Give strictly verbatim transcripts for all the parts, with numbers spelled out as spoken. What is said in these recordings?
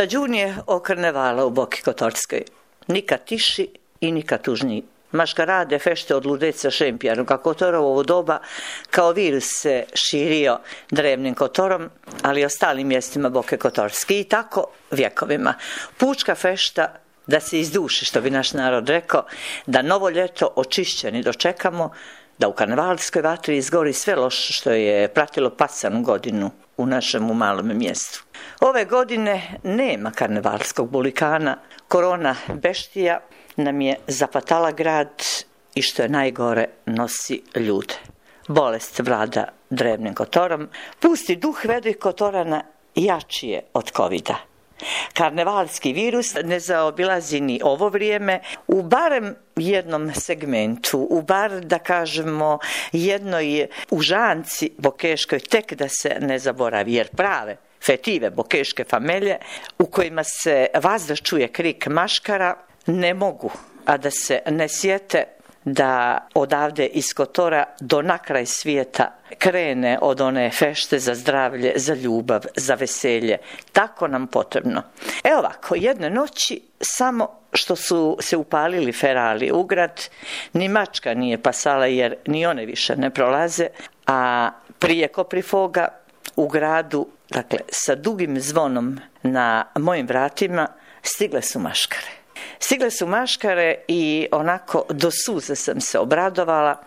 Stađun je o karnevala u Boki Kotorskoj. Nikad tiši i nikad tužniji. Maškarade fešte od ludeca Šempijanu, kako Kotorovo ovo doba kao virus se širio drevnim Kotorom, ali i ostalim mjestima Boke Kotorske i tako vjekovima. Pučka fešta da se izduši, što bi naš narod rekao, da novo ljeto očišćeni dočekamo, da u karnevalskoj vatri izgori sve loše što je pratilo pasanu godinu u našem malom mjestu. Ove godine nema karnevalskog bulikana, korona beštija nam je zapatala grad i što je najgore nosi ljude. Bolest vlada drevnim Kotorom, pusti duh vedrih Kotorana jači je od covida. Karnevalski virus ne zaobilazi ni ovo vrijeme u barem jednom segmentu, u bar da kažemo jednoj užanci bokeškoj tek da se ne zaboravi, jer prave fetive bokeške famelje u kojima se vazda čuje krik maškara ne mogu, a da se ne sjete da odavde iz Kotora do nakraj svijeta krene od one fešte za zdravlje, za ljubav, za veselje. Tako nam potrebno. Evo ovako, jedne noći samo što su se upalili ferali u grad, ni mačka nije pasala jer ni one više ne prolaze, a prije Koprifoga u gradu, dakle sa dugim zvonom na mojim vratima, stigle su maškare. Stigle su maškare i onako do suze sam se obradovala,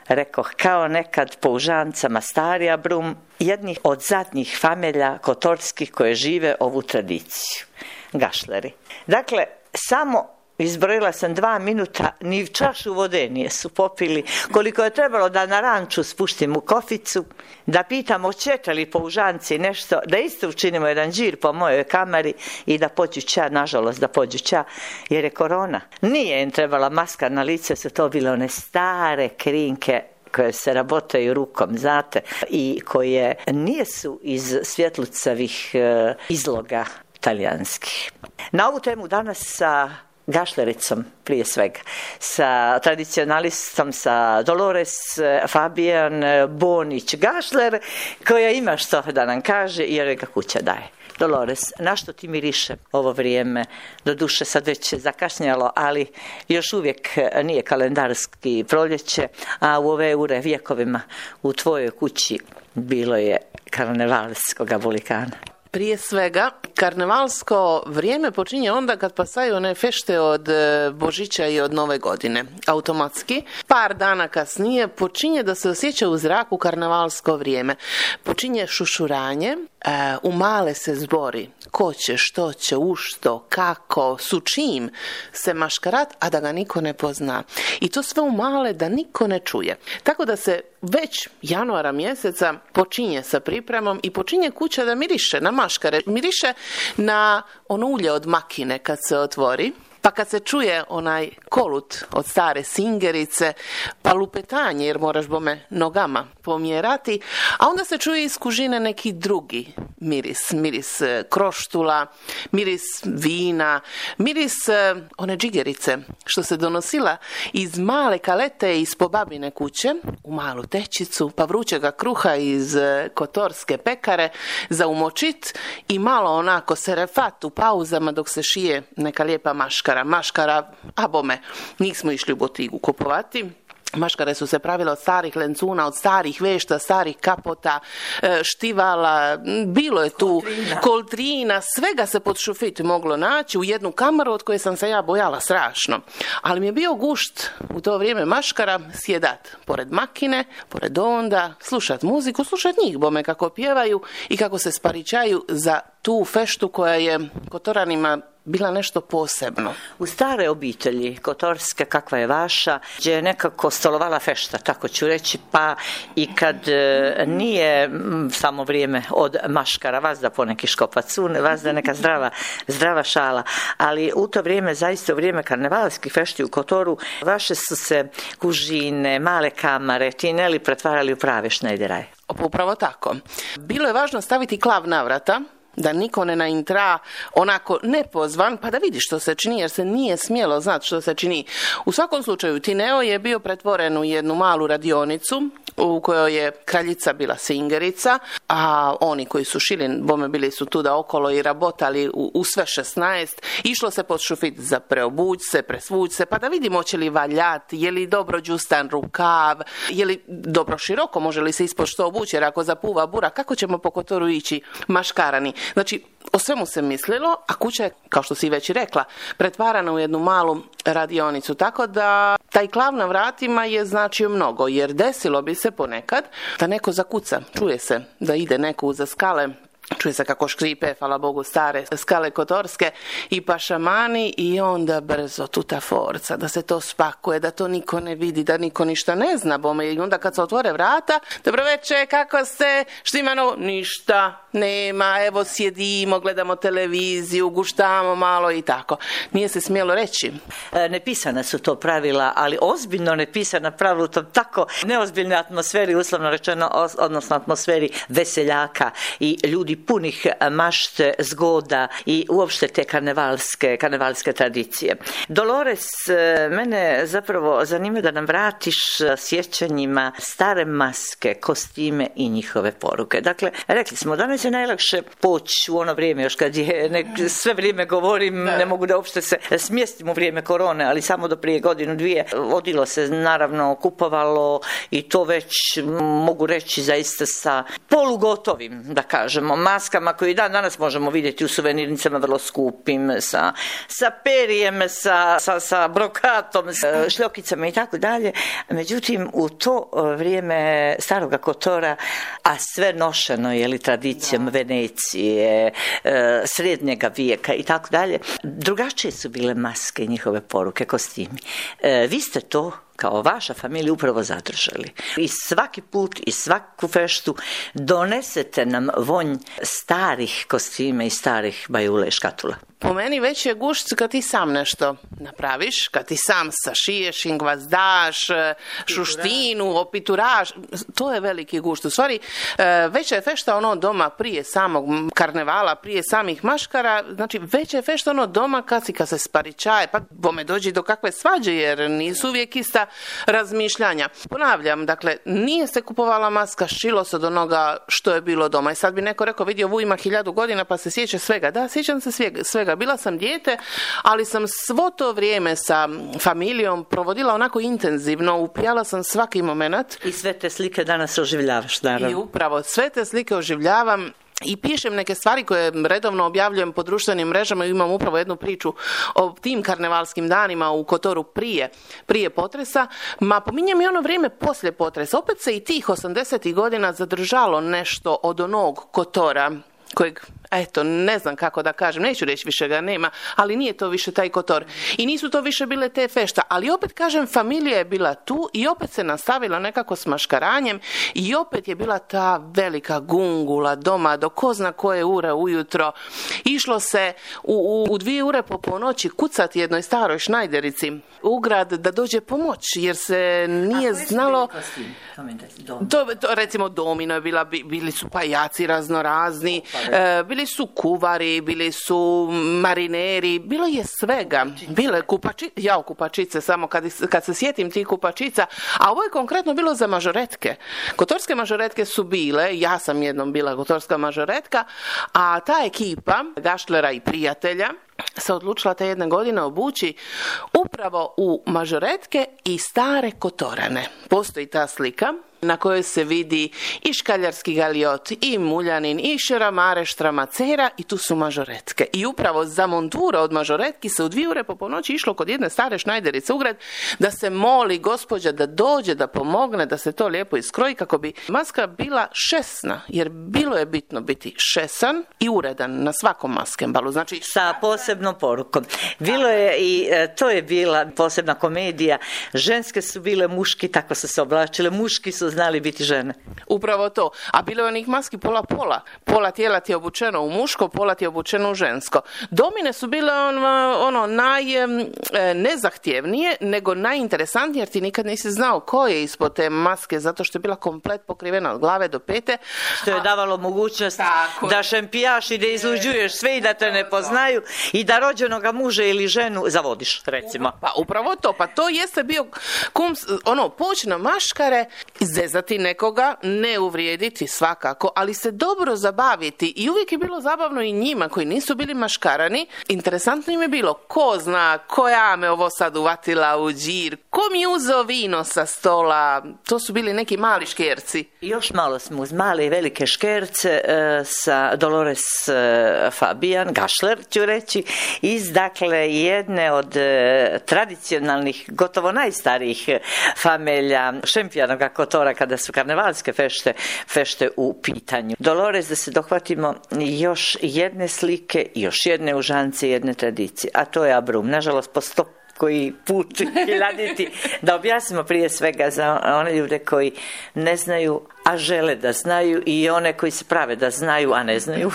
rekoh kao nekad po užancama starija brum, jednih od zadnjih famelja kotorskih koje žive ovu tradiciju. Gašleri. Dakle, samo izbrojila sam dva minuta, ni čašu vode nije su popili, koliko je trebalo da na ranču spuštim u koficu, da pitam oćete li po užanci nešto, da isto učinimo jedan džir po mojoj kamari i da pođu ča, nažalost da pođu ča, jer je korona. Nije im trebala maska na lice, su to bile one stare krinke koje se rabotaju rukom, znate, i koje nisu iz svjetlucavih e, izloga talijanskih. Na ovu temu danas sa gašlericom prije svega, sa tradicionalistom, sa Dolores Fabijan Bonić Gašler, koja ima što da nam kaže jer ga kuća daje. Dolores, na što ti miriše ovo vrijeme? Doduše sad već je zakašnjalo, ali još uvijek nije kalendarski proljeće, a u ove ure vjekovima u tvojoj kući bilo je karnevalskoga bulikana. Prije svega, karnevalsko vrijeme počinje onda kad pasaju one fešte od Božića i od Nove godine. Automatski, par dana kasnije počinje da se osjeća u zraku karnevalsko vrijeme. Počinje šušuranje, u male se zbori ko će, što će, u što, kako, su čim se maškarat, a da ga niko ne pozna. I to sve u male da niko ne čuje. Tako da se već januara mjeseca počinje sa pripremom i počinje kuća da miriše na maškare. Miriše na ono ulje od makine kad se otvori, pa kad se čuje onaj kolut od stare singerice, pa lupetanje jer moraš bome nogama pomjerati, a onda se čuje iz kužine neki drugi miris, miris kroštula, miris vina, miris one džigerice što se donosila iz male kalete iz po babine kuće u malu tečicu, pa vrućega kruha iz kotorske pekare za umočit i malo onako serefat u pauzama dok se šije neka lijepa maškara. Maškara, a bome, nismo išli u botigu kupovati. Maškare su se pravile od starih lencuna, od starih vešta, starih kapota, štivala, bilo je tu koltrina, koltrina svega se pod šufit moglo naći u jednu kamaru od koje sam se ja bojala strašno. Ali mi je bio gušt u to vrijeme maškara sjedat pored makine, pored onda, slušat muziku, slušat njih bome kako pjevaju i kako se sparičaju za tu feštu koja je Kotoranima bila nešto posebno. U stare obitelji kotorske, kakva je vaša, gdje je nekako stolovala fešta, tako ću reći, pa i kad e, nije m, samo vrijeme od maškara, vas da poneki škopacune, vas da neka zdrava, zdrava šala, ali u to vrijeme, zaista u vrijeme karnevalskih fešti u Kotoru, vaše su se kužine, male kamare, tineli pretvarali u prave šnejderaje. Upravo tako. Bilo je važno staviti klav na vrata, da niko ne naintra onako nepozvan, pa da vidi što se čini, jer se nije smjelo znati što se čini. U svakom slučaju, Tineo je bio pretvoren u jednu malu radionicu u kojoj je kraljica bila singerica, a oni koji su šili, bome bili su tu da okolo i rabotali u, u sve šesnaest, išlo se pod šufit za preobuć se, presvuć se, pa da vidimo će li valjati, je li dobro džustan rukav, je li dobro široko, može li se ispod što obući, jer ako zapuva bura, kako ćemo po Kotoru ići maškarani. Znači, o svemu se mislilo, a kuća je, kao što si već i rekla, pretvarana u jednu malu radionicu, tako da taj klav na vratima je značio mnogo, jer desilo bi se ponekad da neko zakuca, čuje se da ide neko uza skale, čuje se kako škripe, hvala Bogu, stare skale kotorske i pašamani i onda brzo tuta forca, da se to spakuje, da to niko ne vidi, da niko ništa ne zna, bome, i onda kad se otvore vrata, dobro večer, kako ste, štimano, ništa, nema, evo sjedimo, gledamo televiziju, guštamo malo i tako. Nije se smjelo reći. E, nepisana su to pravila, ali ozbiljno nepisana pravila u tom tako neozbiljnoj atmosferi, uslovno rečeno, odnosno atmosferi veseljaka i ljudi punih mašte, zgoda i uopšte te karnevalske, karnevalske tradicije. Dolores, mene zapravo zanima da nam vratiš sjećanjima stare maske, kostime i njihove poruke. Dakle, rekli smo, danas je najlakše poći u ono vrijeme, još kad je, ne, sve vrijeme govorim, ne mogu da uopšte se smjestim u vrijeme korone, ali samo do prije godinu, dvije, odilo se, naravno, kupovalo i to već, mogu reći, zaista sa polugotovim, da kažemo, maskama koje dan danas možemo vidjeti u suvenirnicama vrlo skupim, sa, sa perijem, sa, sa, sa brokatom, sa šljokicama i tako dalje. Međutim, u to vrijeme staroga Kotora, a sve nošeno je li tradicijom da. Venecije, srednjega vijeka i tako dalje, drugačije su bile maske i njihove poruke, kostimi. Vi ste to kao vaša familija upravo zadržali. I svaki put i svaku feštu donesete nam vonj starih kostima i starih bajule i škatula. Po meni već je gušt kad ti sam nešto napraviš, kad ti sam sašiješ, ingvazdaš, šuštinu, opituraš, to je veliki gušt. U stvari, veća je fešta ono doma prije samog karnevala, prije samih maškara, znači veća je fešta ono doma kad si kad se sparičaje, pa bome dođi do kakve svađe, jer nisu uvijek ista razmišljanja. Ponavljam, dakle, nije se kupovala maska, šilo se od onoga što je bilo doma. I sad bi neko rekao, vidio, vu ima hiljadu godina pa se sjeća svega. Da, sjećam se svega. Bila sam dijete, ali sam svo to vrijeme sa familijom provodila onako intenzivno, upijala sam svaki moment. I sve te slike danas oživljavaš, naravno. I upravo, sve te slike oživljavam. I pišem neke stvari koje redovno objavljujem po društvenim mrežama i imam upravo jednu priču o tim karnevalskim danima u Kotoru prije, prije potresa. Ma pominjem i ono vrijeme poslije potresa. Opet se i tih osamdesetih godina zadržalo nešto od onog Kotora kojeg, eto, ne znam kako da kažem, neću reći više ga nema, ali nije to više taj Kotor. I nisu to više bile te fešta, ali opet kažem, familija je bila tu i opet se nastavila nekako s maškaranjem i opet je bila ta velika gungula doma do ko zna koje ure ujutro. Išlo se u, u, u dvije ure po ponoći kucati jednoj staroj šnajderici u grad da dođe pomoć, jer se nije znalo... To, to, recimo domino je bila, bili su pajaci raznorazni, e, bili su kuvari, bili su marineri, bilo je svega. Bile kupači, ja kupačice, samo kad, kad se sjetim tih kupačica, a ovo je konkretno bilo za mažoretke. Kotorske mažoretke su bile, ja sam jednom bila kotorska mažoretka, a ta ekipa gaštlera i prijatelja se odlučila te jedne godine obući upravo u mažoretke i stare Kotorane. Postoji ta slika na kojoj se vidi i škaljarski galjot, i muljanin, i šeramare, štramacera, i tu su mažoretke. I upravo za montura od mažoretki se u dvije ure po ponoći išlo kod jedne stare šnajderice u grad da se moli gospođa da dođe, da pomogne, da se to lijepo iskroji kako bi maska bila šesna, jer bilo je bitno biti šesan i uredan na svakom maskembalu. Znači, sa posebnom porukom. Bilo je i to je bila posebna komedija. Ženske su bile muški, tako su se oblačile. Muški su znali biti žene. Upravo to. A bilo je onih maski pola-pola. Pola tijela ti je obučeno u muško, pola ti je obučeno u žensko. Domine su bile ono, ono najnezahtjevnije, nego najinteresantnije, jer ti nikad nisi znao ko je ispod te maske, zato što je bila komplet pokrivena od glave do pete. Što je davalo mogućnost tako da šempijaš i da izluđuješ sve i da te ne poznaju i da rođenoga muža ili ženu zavodiš, recimo. Pa upravo to. Pa to jeste bio kum, ono, poć na maškare, zezati nekoga, ne uvrijediti svakako, ali se dobro zabaviti i uvijek je bilo zabavno i njima koji nisu bili maškarani. Interesantno im je bilo ko zna, koja me ovo sad uvatila u džir, ko mi je uzeo vino sa stola, to su bili neki mali škerci. Još malo smo uz male i velike škerce e, sa Dolores e, Fabian, Gašler ću reći, iz dakle jedne od e, tradicionalnih, gotovo najstarijih familija Šempijanoga Kotora kada su karnevalske fešte, fešte u pitanju. Dolores, da se dohvatimo još jedne slike, još jedne užance, jedne tradicije, a to je Abrum. Nažalost, po sto koji put hiljaditi, da objasnimo prije svega za one ljude koji ne znaju, a žele da znaju, i one koji se prave da znaju, a ne znaju.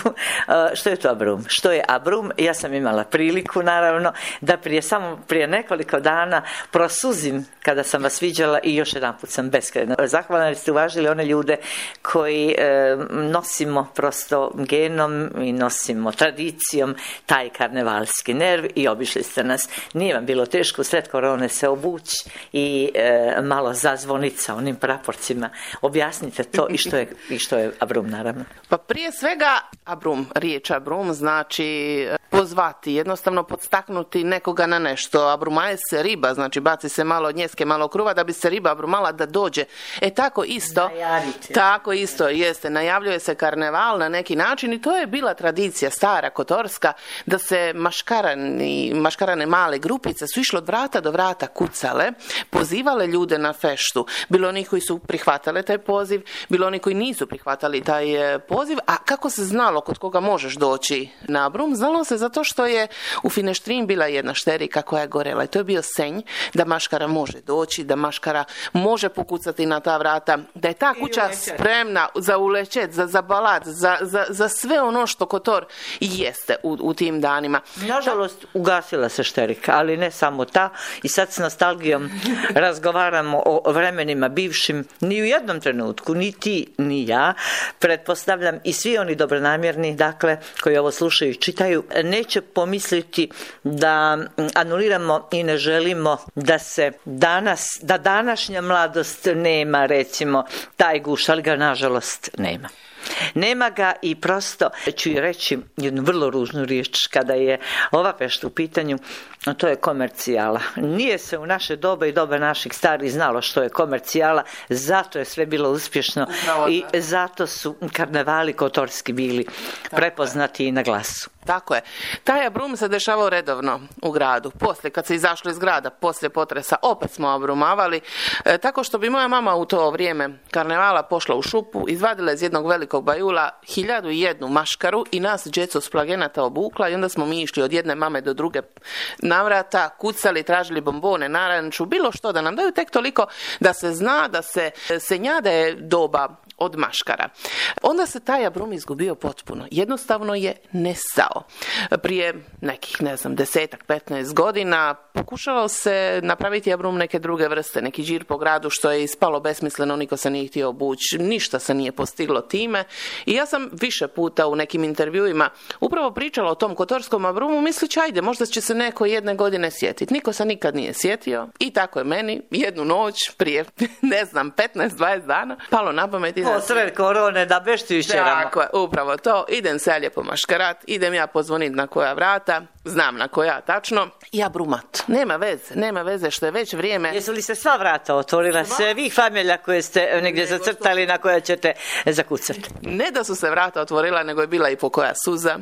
Što je to Abrum? Što je Abrum? Ja sam imala priliku, naravno, da prije samo prije nekoliko dana prosuzim kada sam vas viđala i još jedan put sam beskrajno zahvalna jer ste uvažili one ljude koji e, nosimo prosto genom i nosimo tradicijom taj karnevalski nerv i obišli ste nas. Nije vam bilo teško usred korone se obući i e, malo zazvoniti sa onim praporcima. Objasnite to i što je, i što je Abrum, naravno. Pa prije svega Abrum, riječ Abrum znači pozvati, jednostavno podstaknuti nekoga na nešto. Abrumaje se riba, znači baci se malo njeske, malo kruva da bi se riba abrumala da dođe. E tako isto, Najavite. tako isto jeste, najavljuje se karneval na neki način i to je bila tradicija stara kotorska da se maškarani, maškarane male grupice su išle od vrata do vrata kucale, pozivale ljude na feštu. Bilo oni koji su prihvatale taj poziv, bilo oni koji nisu prihvatali taj poziv, a kako se znalo kod koga možeš doći na Abrum? Znalo se zato što je u Fineštrin bila jedna šterika koja je gorela i to je bio senj da maškara može doći, da maškara može pokucati na ta vrata, da je ta kuća spremna za ulećet, za, za balat, za, za, za sve ono što Kotor jeste u, u tim danima. Nažalost, ugasila se šterika, ali ne samo ta, i sad s nostalgijom razgovaramo o vremenima bivšim. Ni u jednom trenutku, ni ti, ni ja, pretpostavljam, i svi oni dobronamjerni, dakle, koji ovo slušaju i čitaju, neće pomisliti da anuliramo i ne želimo da se danas, da današnja mladost nema, recimo, taj guš, ali ga nažalost nema. Nema ga i prosto ću i reći jednu vrlo ružnu riječ kada je ova fešta u pitanju, a to je komercijala. Nije se u naše doba i doba naših starih znalo što je komercijala, zato je sve bilo uspješno i zato su karnevali kotorski bili prepoznati i na glasu. Tako je. Taj Abrum se dešavao redovno u gradu. Poslije, kad se izašlo iz grada, poslije potresa, opet smo abrumavali. E, tako što bi moja mama u to vrijeme karnevala pošla u šupu, izvadila iz jednog velikog bajula hiljadu i jednu maškaru i nas djecu s plagenata obukla i onda smo mi išli od jedne mame do druge navrata, kucali, tražili bombone, naranču, bilo što da nam daju, tek toliko da se zna da se senjada je doba od maškara. Onda se taj Abrum izgubio potpuno. Jednostavno je nestao. Prije nekih, ne znam, desetak, petnaest godina pokušalo se napraviti Abrum neke druge vrste, neki džir po gradu, što je ispalo besmisleno, niko se nije htio obući, ništa se nije postiglo time. I ja sam više puta u nekim intervjuima upravo pričala o tom kotorskom Abrumu, mislići, ajde, možda će se neko jedne godine sjetiti. Niko se nikad nije sjetio i tako je meni jednu noć prije, ne znam, petnaest dvadeset dana palo na pamet. Posred korone da beštu išćeramo. Tako je, upravo to. Idem se ja lijepo maškarat, idem ja pozvoniti na koja vrata, znam na koja tačno, ja brumat. Nema veze, nema veze što je već vrijeme. Jesu li se sva vrata otvorila, sve vi familija koje ste negdje zacrtali na koja ćete zakucati? Ne da su se vrata otvorila, nego je bila i po koja suza,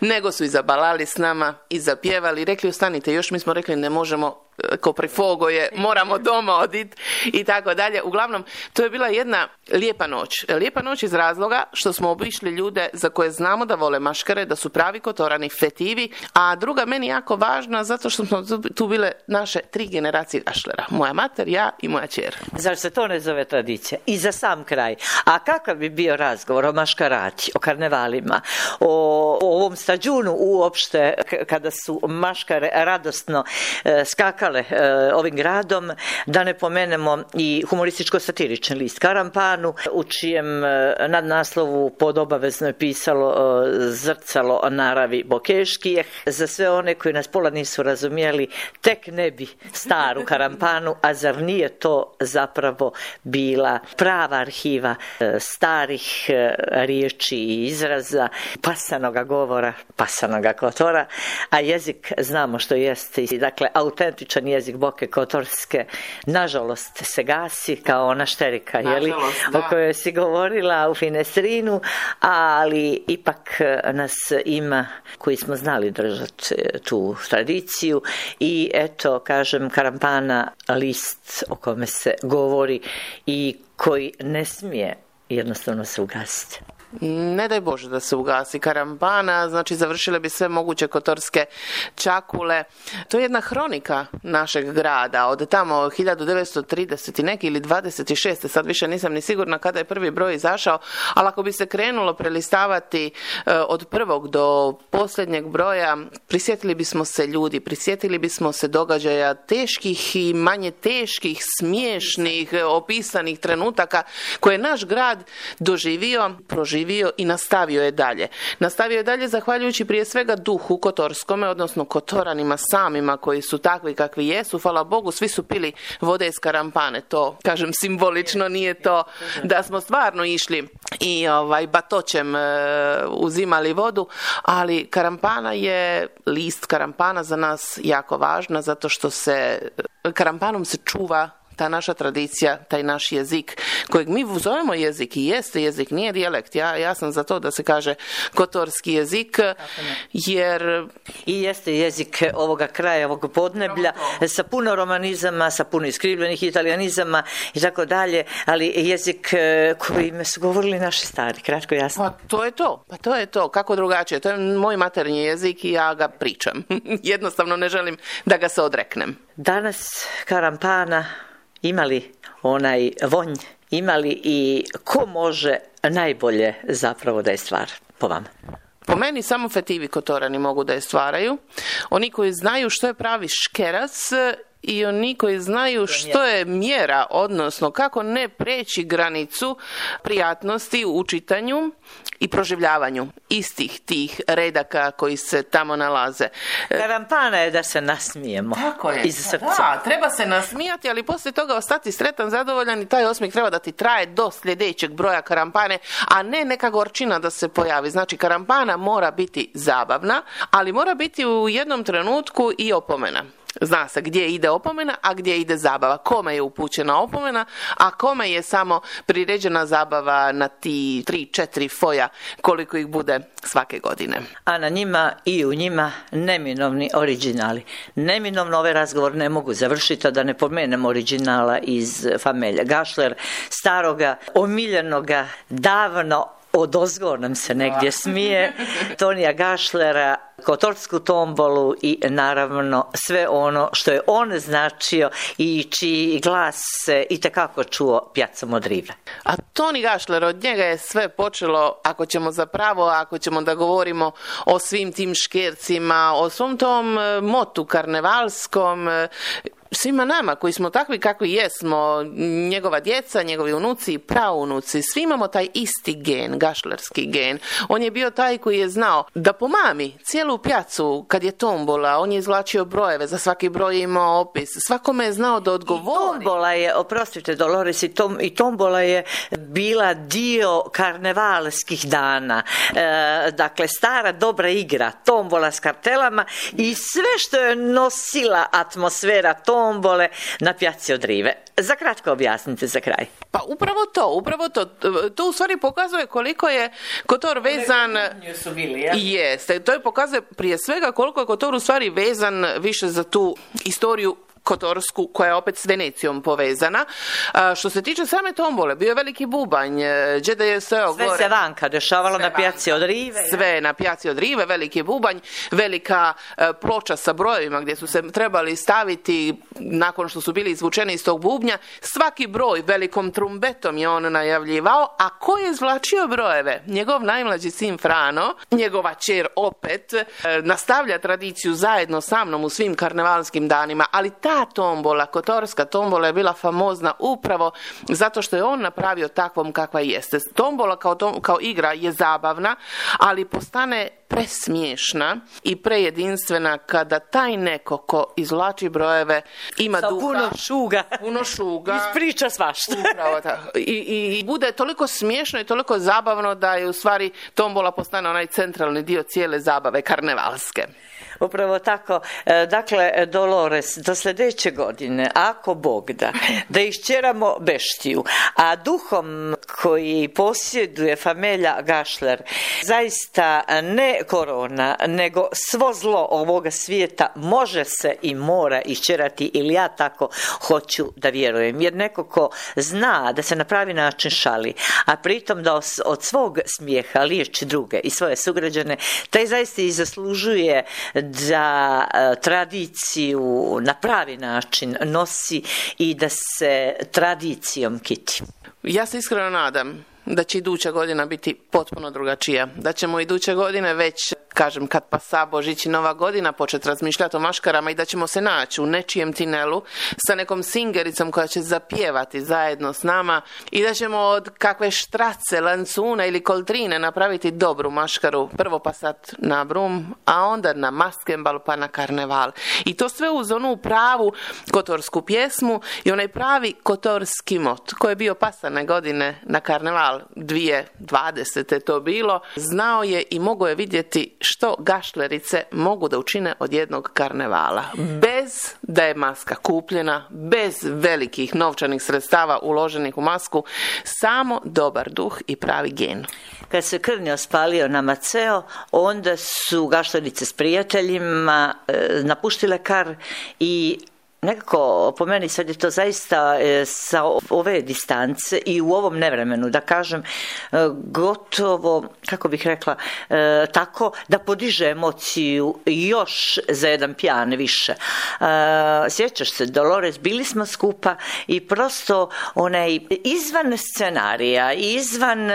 nego su i zabalali s nama, i zapjevali, rekli ostanite još, mi smo rekli ne možemo, ko prifogo je, moramo doma oditi i tako dalje. Uglavnom, to je bila jedna lijepa noć. Lijepa noć iz razloga što smo obišli ljude za koje znamo da vole maškare, da su pravi kotorani, fetivi, a druga meni jako važna zato što smo tu bile naše tri generacije gašlera. Moja mater, ja i moja ćer. Zar se to ne zove tradicija? I za sam kraj, a kakav bi bio razgovor o maškarati, o karnevalima, o, o ovom stađunu uopšte, kada su maškare radosno e, skakale e, ovim gradom, da ne pomenemo i humorističko-satirični list Karampanu, u čijem e, nadnaslovu pod obavezno je pisalo e, zrcalo naravi Bokeškijeh. Za sve one koji nas pola nisu razumjeli, tek ne bi staru Karampanu, a zar nije to zapravo bila prava arhiva starih riječi i izraza, pasanoga govora, pasanoga Kotora, a jezik znamo što jeste, dakle autentičan jezik Boke Kotorske nažalost se gasi kao ona šterika, jeli, o kojoj si govorila u Finestrinu, ali ipak nas ima koji smo znali držati tu tradiciju i eto, kažem, Karampana, list o kome se govori i koji ne smije jednostavno se ugasiti. Ne daj Bože da se ugasi Karampana, znači završile bi sve moguće kotorske čakule. To je jedna hronika našeg grada od tamo hiljadu devetsto trideset i neki ili dvadeset šeste, sad više nisam ni sigurna kada je prvi broj izašao, ali ako bi se krenulo prelistavati od prvog do posljednjeg broja, prisjetili bismo se ljudi, prisjetili bismo se događaja teških i manje teških, smiješnih, opisanih trenutaka koje je naš grad doživio, proživio i nastavio je dalje. Nastavio je dalje zahvaljujući prije svega duhu kotorskome, odnosno kotoranima samima koji su takvi kakvi jesu. Hvala Bogu, svi su pili vode iz Karampane. To, kažem, simbolično, nije to da smo stvarno išli i ovaj, batoćem e, uzimali vodu, ali Karampana je, list Karampana za nas jako važna, zato što se Karampanom se čuva ta naša tradicija, taj naš jezik, kojeg mi zovemo jezik i jeste jezik, nije dijalekt. Ja, ja sam za to da se kaže kotorski jezik, jer... I jeste jezik ovoga kraja, ovog podneblja, sa puno romanizama, sa puno iskrivljenih italijanizama i tako dalje, ali jezik kojim su govorili naši stari, kratko jasno. Pa to je to, pa to je to, kako drugačije. To je moj maternji jezik i ja ga pričam. Jednostavno ne želim da ga se odreknem. Danas Karampana imali onaj vonj, imali i ko može najbolje zapravo da je stvar po vama? Po meni samo fetivi kotorani mogu da je stvaraju. Oni koji znaju što je pravi škerac i oni koji znaju što je mjera, odnosno kako ne preći granicu prijatnosti u čitanju i proživljavanju istih tih redaka koji se tamo nalaze. Karampana je da se nasmijemo. Tako je. Iz srca. Da, treba se nasmijati, ali poslije toga ostati sretan, zadovoljan i taj osmijeh treba da ti traje do sljedećeg broja Karampane, a ne neka gorčina da se pojavi. Znači, Karampana mora biti zabavna, ali mora biti u jednom trenutku i opomena. Zna se gdje ide opomena, a gdje ide zabava. Kome je upućena opomena, a kome je samo priređena zabava na ti tri, četiri foja koliko ih bude svake godine. A na njima i u njima neminovni originali. Neminovno ovaj razgovor ne mogu završiti, a da ne pomenem originala iz Famelja Gašler, staroga, omiljenoga, davno odozgo nam se negdje smije, Tonija Gašlera, kotorsku tombolu i naravno sve ono što je on značio i čiji glas se itekako čuo pjacom od rive. A Toni Gašler, od njega je sve počelo, ako ćemo zapravo, ako ćemo da govorimo o svim tim škercima, o svom tom motu karnevalskom, svima nama koji smo takvi kakvi jesmo, njegova djeca, njegovi unuci i praunuci, svi imamo taj isti gen, gašlerski gen. On je bio taj koji je znao da pomami cijelu pjacu kad je tombola, on je izvlačio brojeve, za svaki broj je imao opis, svakome je znao da odgovori. I tombola je, oprostite Dolores, i, tom, i tombola je bila dio karnevalskih dana. E, dakle, stara dobra igra, tombola s kartelama i sve što je nosila atmosfera tom tombole na pjaci od rive. Za kratko objasnite za kraj. Pa upravo to, upravo to. To u stvari pokazuje koliko je Kotor vezan... Su bili, ja? Jeste, to je pokazuje prije svega koliko je Kotor u stvari vezan više za tu istoriju kotorsku, koja je opet s Venecijom povezana. A, što se tiče same tombole, bio je veliki bubanj, Đeda je sve Sve gore. se vanka dešavalo Sve na pjaci od rive. Sve na pjaci od rive, veliki bubanj, velika e, ploča sa brojevima gdje su se trebali staviti nakon što su bili izvučeni iz tog bubnja. Svaki broj velikom trumbetom je on najavljivao, a ko je izvlačio brojeve? Njegov najmlađi sin Frano, njegova ćer opet, e, nastavlja tradiciju zajedno sa mnom u svim karnevalskim danima, ali ta ta tombola, kotorska tombola je bila famozna upravo zato što je on napravio takvom kakva jeste. Tombola kao, tom, kao igra je zabavna, ali postane presmiješna i prejedinstvena kada taj neko ko izvlači brojeve ima sa duha, puno šuga, puno šuga, ispriča svašta. Upravo tako. I, i, I bude toliko smiješno i toliko zabavno da je u stvari tombola postane onaj centralni dio cijele zabave karnevalske. Upravo tako. Dakle, Dolores, do sljedeće godine, ako Bog da, da iščeramo beštiju, a duhom koji posjeduje familija Gašler, zaista ne korona, nego svo zlo ovoga svijeta može se i mora iščerati, ili ja tako hoću da vjerujem. Jer neko ko zna da se na pravi način šali, a pritom da od svog smijeha liječi druge i svoje sugrađane, taj zaista i zaslužuje da tradiciju na pravi način nosi i da se tradicijom kiti. Ja se iskreno nadam da će iduća godina biti potpuno drugačija. Da ćemo iduće godine već, kažem, kad pasa Božić i Nova godina, početi razmišljati o maškarama i da ćemo se naći u nečijem tinelu sa nekom singericom koja će zapjevati zajedno s nama i da ćemo od kakve štrace, lancuna ili koltrine napraviti dobru maškaru. Prvo pa sad na brum, a onda na maskembal pa na karneval. I to sve uz onu pravu kotorsku pjesmu i onaj pravi kotorski mot koji je bio pasane godine na karneval dvije tisuće dvadesete to bilo, znao je i mogao je vidjeti što gašlerice mogu da učine od jednog karnevala. Bez da je maska kupljena, bez velikih novčanih sredstava uloženih u masku, samo dobar duh i pravi gen. Kad se Krnjo spalio na Maceo, onda su gašlerice s prijateljima e, napuštile Kar i nekako, po meni sad je to zaista e, sa ove distance i u ovom nevremenu, da kažem, e, gotovo, kako bih rekla, e, tako da podiže emociju još za jedan pijan više. E, sjećaš se, Dolores, bili smo skupa i prosto onaj izvan scenarija, izvan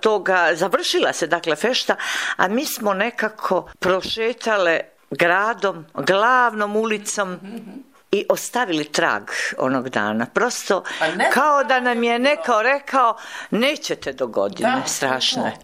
toga, završila se dakle fešta, a mi smo nekako prošetale gradom, glavnom ulicom, i ostavili trag onog dana. Prosto kao da nam je neko rekao nećete do godine, da, strašno je.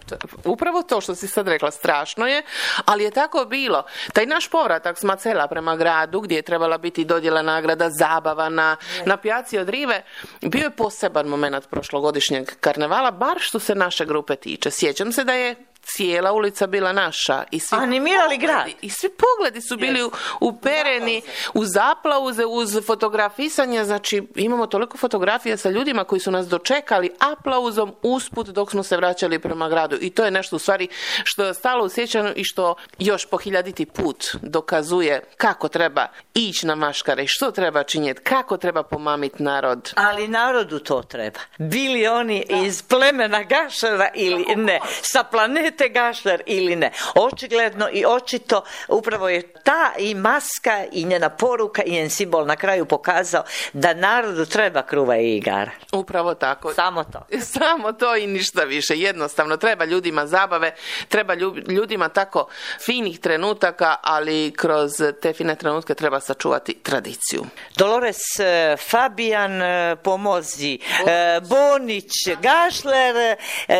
Upravo to što si sad rekla, strašno je, ali je tako bilo. Taj naš povratak s Macela prema gradu, gdje je trebala biti dodjela nagrada, zabava na, na pijaci od Rive, bio je poseban moment prošlogodišnjeg karnevala, bar što se naše grupe tiče. Sjećam se da je cijela ulica bila naša i svi animirali grad i svi pogledi su bili yes. upereni uz aplauze, uz fotografisanje, znači imamo toliko fotografija sa ljudima koji su nas dočekali aplauzom usput dok smo se vraćali prema gradu i to je nešto u stvari što je stalo u sjećanju i što još po hiljaditi put dokazuje kako treba ići na maškare i što treba činjeti, kako treba pomamiti narod. Ali narodu to treba. Bili oni da. iz plemena Gašlera ili ne, sa planete Gašler ili ne. Očigledno i očito upravo je ta i maska i njena poruka i njen simbol na kraju pokazao da narodu treba kruva i igara. Upravo tako. Samo to. Samo to i ništa više. Jednostavno treba ljudima zabave, treba ljudima tako finih trenutaka, ali kroz te fine trenutke treba sačuvati tradiciju. Dolores, Fabijan, pomozi, Bonić, Gašler,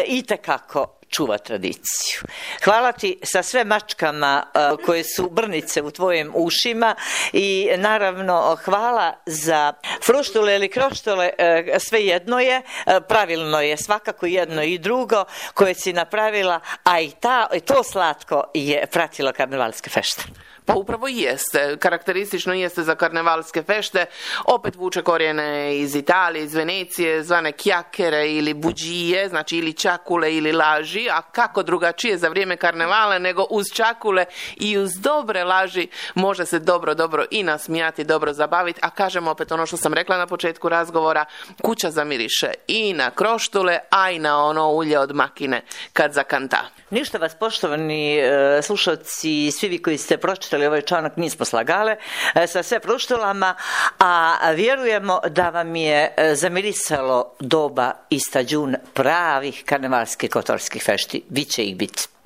itekako čuva tradiciju. Hvala ti sa sve mačkama uh, koje su brnice u tvojim ušima i naravno hvala za fruštule ili kroštole, uh, sve jedno je, uh, pravilno je svakako jedno i drugo koje si napravila, a i ta, to slatko je pratilo karnevalske fešte. Pa upravo jeste, karakteristično jeste za karnevalske fešte, opet vuče korijene iz Italije, iz Venecije, zvane kjakere ili buđije, znači ili čakule ili laži, a kako drugačije za vrijeme karnevala nego uz čakule i uz dobre laži može se dobro, dobro i nasmijati, dobro zabaviti, a kažem opet ono što sam rekla na početku razgovora, kuća zamiriše i na kroštule, a i na ono ulje od makine kad zakanta. Ništa vas, poštovani e, slušalci, svi vi koji ste pročitali ovaj članak, nismo slagale e, sa sve pruštulama, a vjerujemo da vam je e, zamirisalo doba i stađun pravih karnevalskih kotorskih fešti. Biće ih biti.